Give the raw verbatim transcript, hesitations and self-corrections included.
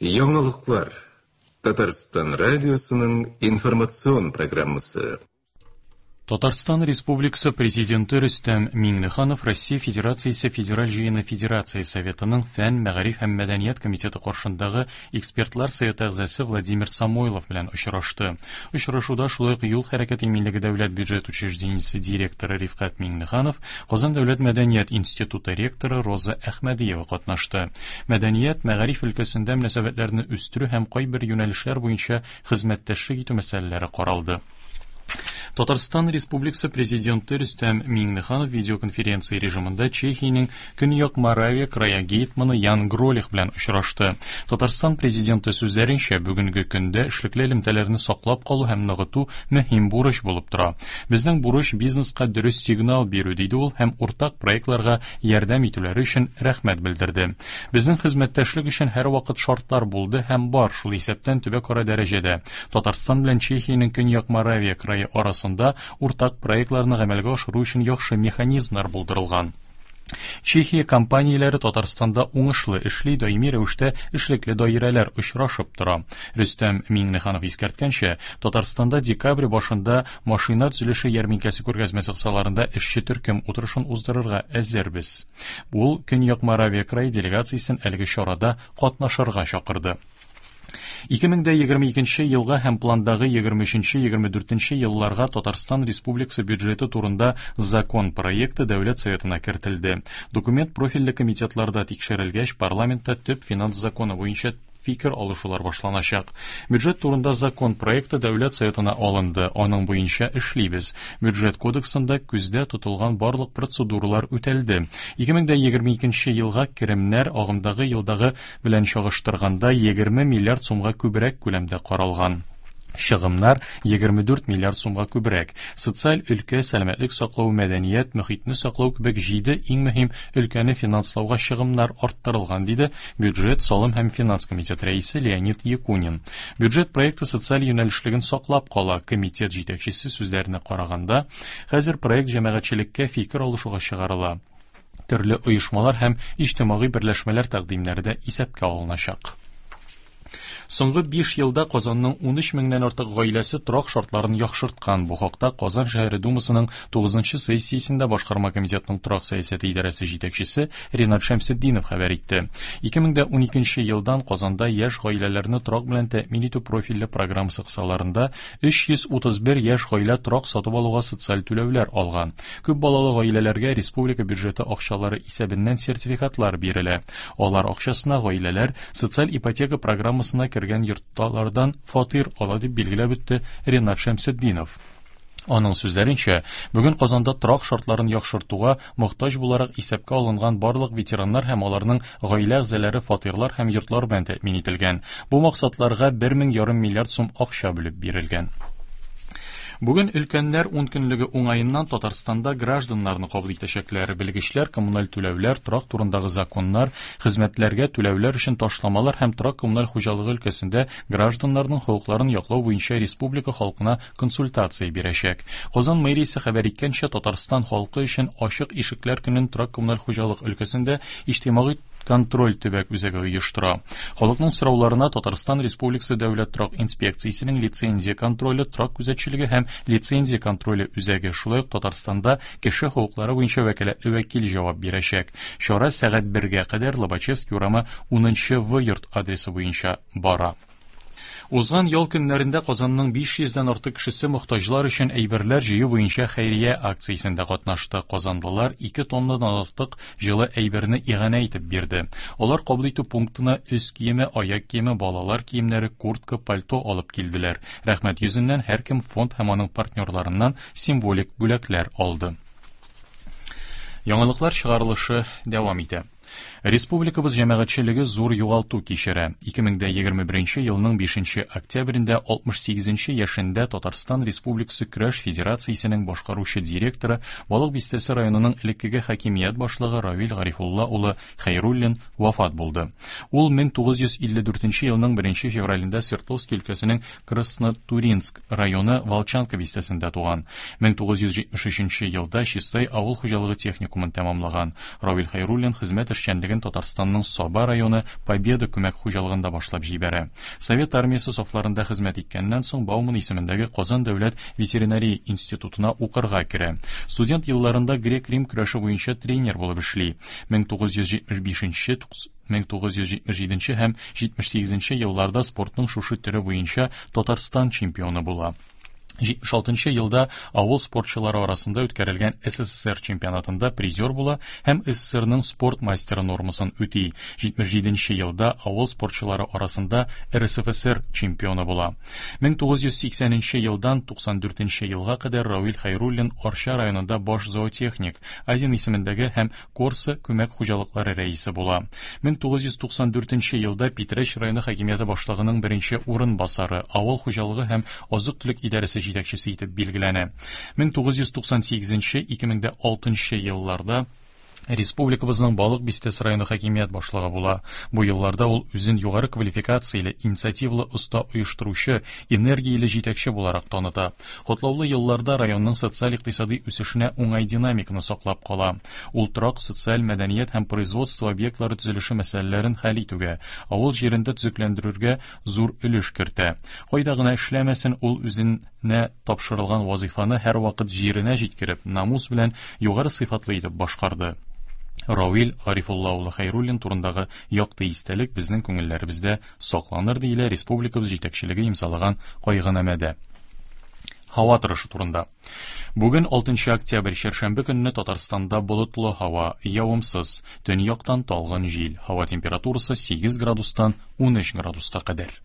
Яңалыклар. Татарстан радиосының информацион программасы. Татарстан Республикасы Президенты Рөстәм Миңнеханов Россия Федерациясе Федераль Җыены Федерация Советының Фән, Мәгариф һәм Мәдәният комитеты каршындагы экспертлар советы әгъзасы Владимир Самойлов белән очрашты. Очрашуда шулай ук юл хәрәкәте иминлеге дәүләт бюджет учреждениесе директоры Рифкать Миңнеханов, Казан дәүләт мәдәният институты ректоры Роза Әхмәдиева катнашты. Мәдәният, мәгариф өлкәсендә мөнәсәбәтләрне үстерү һәм кайбер юнәлешләр буенча хезмәттәшлек итү мәсьәләләре каралды. Татарстан Республикасы Президенты Рөстәм Миңнеханов видеоконференция режимында Чехиянең Көньяк Моравия крае гетманы Ян Гролих белән очрашты. Татарстан Президенты сүзләренчә, бүгенге көндә эшлекле элемтәләрне саклап калу һәм ныгыту мөһим бурыч булып тора. Безнең бурыч бизнеска дөрес сигнал бирү, диде ул, һәм уртак проектларга ярдәм итүләре өчен рәхмәт белдерде. Безнең хезмәттәшлек өчен һәрвакыт шартлар булды һәм бар, шул исәптән төбәкара дәрәҗәдә. Татарстан белән Чехиянең Көньяк Моравия крае арасында уртак проектларны гамәлгә ашыру өчен яхшы механизмнар булдырылган. Чехия компанияләре Татарстанда уңышлы эшли, даими рәвештә эшлекле даирәләр очрашып тора. Рөстәм Миңнеханов искәрткәнчә, Татарстанда декабрь башында машина төзелеше ярминкәсе күргәзмәсе кысаларында эшче төркем утырышын уздырырга әзербез. Ул Көньяк Моравия крае делегациясен әлеге чарада катнашырга чакырды. ике мең егерме икенче елга һәм пландагы егерме өченче егерме дүртенче елларга Татарстан Республикасы бюджеты турында закон проекты Дәүләт Советына кертелде. Документ профильле комитетларда тикшерелгәч, парламентта төп финанс законы буенча фикер алышулар башланачак. Бюджет турында закон проекты Дәүләт Советына алынды, аның буенча эшлибез. Бюджет кодексында күздә тотылган барлык процедуралар үтәлде. ике мең егерме икенче елга керемнәр агымдагы елдагы белән чагыштырганда егерме миллиард сумга күбрәк күләмдә каралган. Чыгымнар егерме дүрт миллиард сумга күбрәк. Социаль өлкә, сәламәтлек саклау, мәдәният, мөхитне саклау кебек җиде иң мөһим өлкәне финанслауга чыгымнар арттырылган, диде бюджет, салым һәм финанс комитеты рәисе Леонид Якунин. Бюджет проекты социаль юнәлешлеген саклап кала. Комитет җитәкчесе сүзләренә караганда, хәзер проект җәмәгатьчелеккә фикер алышуга чыгарыла. Төрле оешмалар һәм иҗтимагый берләшмәләр тәкъдимнәре дә исәпкә алыначак. Соңгы биш елда Казанның ун өч меңнән артык гаиләсе торак шартларын яхшырткан. Бу хакта Казан шәһәре Думасының тугызынчы сессиясендә башкарма комитетның торак сәясәте идарәсе җитәкчесе Ринат Шәмсетдинов хәбәр итте. ике мең ун икенче елдан Казанда яшь гаиләләрне торак белән тәэмин итү профильле программасы кысаларында өч йөз утыз бер яшь гаилә торак сатып алуга социаль түләүләр алган. Күп балалы гаиләләргә республика бюджеты акчалары исәбеннән сертификатлар бирелә. Алар акчасына гаиләләр социаль ипотека программасына кергән йортлардан фатир ала, дип билгеләп үтте Ринат Шәмсетдинов. Аның сүзләренчә, бүген Казанда торак шартларын яхшыртуга мохтаҗ буларак исәпкә алынган барлык ветераннар һәм аларның гаилә әгъзалары фатирлар һәм йортлар белән тәэмин ителгән. Бу максатларга бер мең ярым миллиард сум акча бүлеп бирелгән. Бүген өлкәннәр ун көнлеге уңаеннан Татарстанда гражданнарны кабул итәчәкләр. Белгечләр коммуналь түләүләр, торак турындагы законнар, хезмәтләргә түләүләр өчен ташламалар һәм торак коммуналь хуҗалыгы өлкәсендә гражданнарның хокукларын яклау буенча республика халкына консультация бирәчәк. Казан мэриясе хәбәр иткәнчә, Татарстан халкы өчен ачык ишекләр көнен торак коммуналь хуҗалык өлкәсендә иҗтимагый контроль төбәк үзәге оештыра. Халыкның сорауларына Татарстан Республикасы Дәүләт торак инспекциясенең лицензия контроле, торак күзәтчелеге һәм лицензия контроле үзәге, шулай ук Татарстанда кеше хокуклары буенча вәкаләтле вәкил җавап бирәчәк. Чара сәгать бергә кадәр Лобачевский урамы унынчы В йорт адресы буенча бара. Узган ял көннәрендә Казанның биш йөздән артык кешесе мохтаҗлар өчен әйберләр җыю буенча хәйрия акциясендә катнашты. Казанлылар ике тоннадан артык җылы әйберне иганә итеп бирде. Алар кабул итү пунктына өс киеме, аяк киеме, балалар киемнәре, куртка, пальто алып килделәр. Рәхмәт йөзеннән һәркем фонд һәм аның партнерларыннан символик бүләкләр алды. Яңалыклар чыгарылышы дәвам итә. Республикабыз җәмәгатьчелеге зур югалту кичерә. ике мең егерме беренче елның бишенче октябрендә алтмыш сигезенче яшендә Татарстан Республикасы Көрәш Федерациясенең башкаручы директоры, Балык Бистәсе районының элеккеге хакимият башлыгы Равил Гарифулла улы Хәйруллин вафат булды. Ул мең тугыз йөз илле дүртенче елның беренче февралендә Свердловск өлкәсенең Краснотуринск районы Волчанка бистәсендә туган. мең тугыз йөз җитмеш өченче елда Чистай авыл хуҗалыгы техникумын тәмамлаган. Равил Хәйруллин хезмәт эшчәнлеген Татарстанның Саба районы Победа күмәк хуҗалыгында башлап җибәрә. Совет армиясе сафларында хезмәт иткәннән соң Бауман исемендәге Казан дәүләт ветеринария институтына укырга керә. Студент елларында грек-рим көрәше буенча тренер булып эшли. мең тугыз йөз җитмеш бишенче, мең тугыз йөз җитмеш җиденче һәм җитмеш сигезенче елларда спортның шушы төре буенча Татарстан чемпионы була. Җитмеш алтынчы елда авыл спортчылары арасында үткәрелгән СССР чемпионатында призер була һәм СССРның спорт мастеры нормасын үти. Җитмеш җиденче елда авыл спортчылары арасында РСФСР чемпионы була. Мең тугыз йөз сиксәненче елдан туксан дүртенче елга кадәр Равил Хәйруллин Арча районында баш зоотехник, Азин исемендәге һәм Корса күмәк хуҗалыклары рәисе була. Мең тугыз йөз туксан дүртенче елда Питрәч районы хакимияте башлыгының беренче урынбасары, авыл хуҗалыгы һәм азык-төлек идарәсе җитәкчесе итеп билгеләнә. Мең тугыз йөз туксан сигезенче, ике мең дә алтынчы елларда республикабызның Балык Бистәсе районы хакимият башлыгы була. Бу елларда ул үзен югары квалификацияле, инициативалы оста оештыручы, энергияле җитәкче буларак таныта. Котлаулы елларда районның социаль-икътисади үсешенә уңай динамиканы саклап кала. Ул торак, социаль, мәдәният һәм производство объектлары төзелеше мәсьәләләрен хәл итүгә, авыл җирендә төзекләндерүгә зур өлеш кертә. Кайда гына эшләмәсен, ул үзенә тапшырылган вазифаны һәрвакыт җиренә җиткереп, намус белән югары сыйфатлы итеп башкарды. Равил Гарифулла улы Хәйруллин турындагы якты истәлек безнең күңелләребездә сакланыр, диелә республикабыз җитәкчелеге имзалаган кайгынамәдә. Һава торышы турында. Бүген алтынчы октябрь чәршәмбе көнне Татарстанда болытлы һава, явымсыз, төньяктан талгын җил. Һава температурасы сигез градустан ун өч градуска кадәр.